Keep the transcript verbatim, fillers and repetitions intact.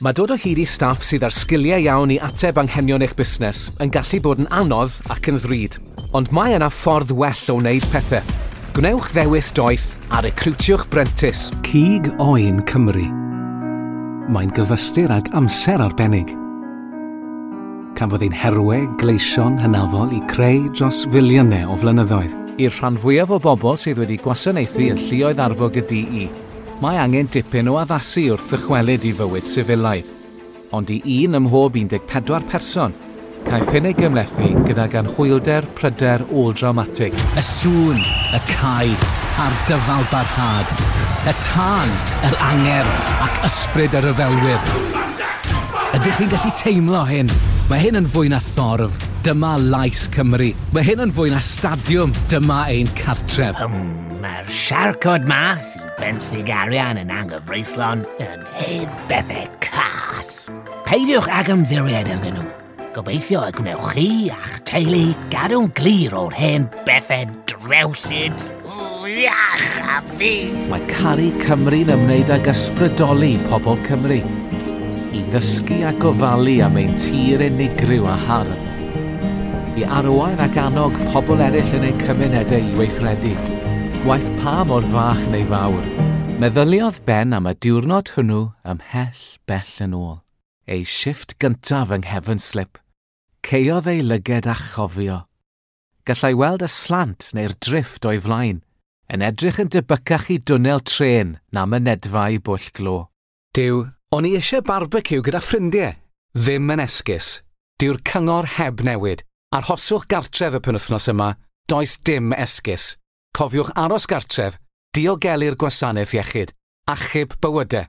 Mae dod o hyd i staff sydd â'r sgiliau iawn i ateb anghenion eich busnes yn gallu bod yn anodd ac yn ddrud. Ond mae yna ffordd well o wneud pethau. Gwnewch ddewis doeth a recriwtiwch brentis. Cig Oen Cymru. Mae'n gyfystyr ag amser arbennig. Cafodd ein herwe gleision hynafol i creu dros filiynau o flynyddoedd. I'r rhan fwyaf o bobl sydd wedi gwasanaethu yn lluoedd arfog y D E, mae angen dipyn o addasu wrth ddychwelyd i fywyd sifilaidd. Ond i un ym mhob un deg pedwar person, caiff hyn ei gymhlethu gydag anhwylder pryder ôl-drawmatig. Y sŵn, y cau, a'r dyfal barhad. Y tân, yr angerdd ac ysbryd y rhyfelwyr. Ydych chi'n gallu teimlo hyn? Mae hyn yn fwy na thorf. Dyma lais Cymru. Mae hyn yn fwy na stadiwm. Dyma ein cartref. Hmm, mae'r siarcod ma sy'n benthyg arian yn anghyfreithlon yn hen bethau cas. Peidiwch ag ymddiried ynddyn nhw. Gobeithio y gwnewch chi a'ch teulu gadw'n glir o'r hen bethau drewllyd. Iach a fi! Mae caru Cymru'n ymwneud ag ysbrydoli pobl Cymru i ddysgu a gofalu am ein tir unigryw a hardd. I arwain ac annog pobl eraill yn eu cymunedau i weithredu, waeth pa mor fach neu fawr. Meddyliodd Ben am y diwrnod hwnnw ymhell bell yn ôl. Ei shifft gyntaf yng nghefn slip. Caeodd ei lyged a chofio. Gallai weld y slant neu'r drifft o'i flaen, yn edrych yn debycach i dwnnel trên na mynedfa i bwll glo. Duw, o'n i eisiau barbeciw gyda ffrindiau. Ddim yn esgus. Dyw'r cyngor heb newid. Arhoswch gartref y penwythnos yma, does dim esgus. Cofiwch aros gartref, diogelu'r gwasanaeth iechyd, achub bywydau.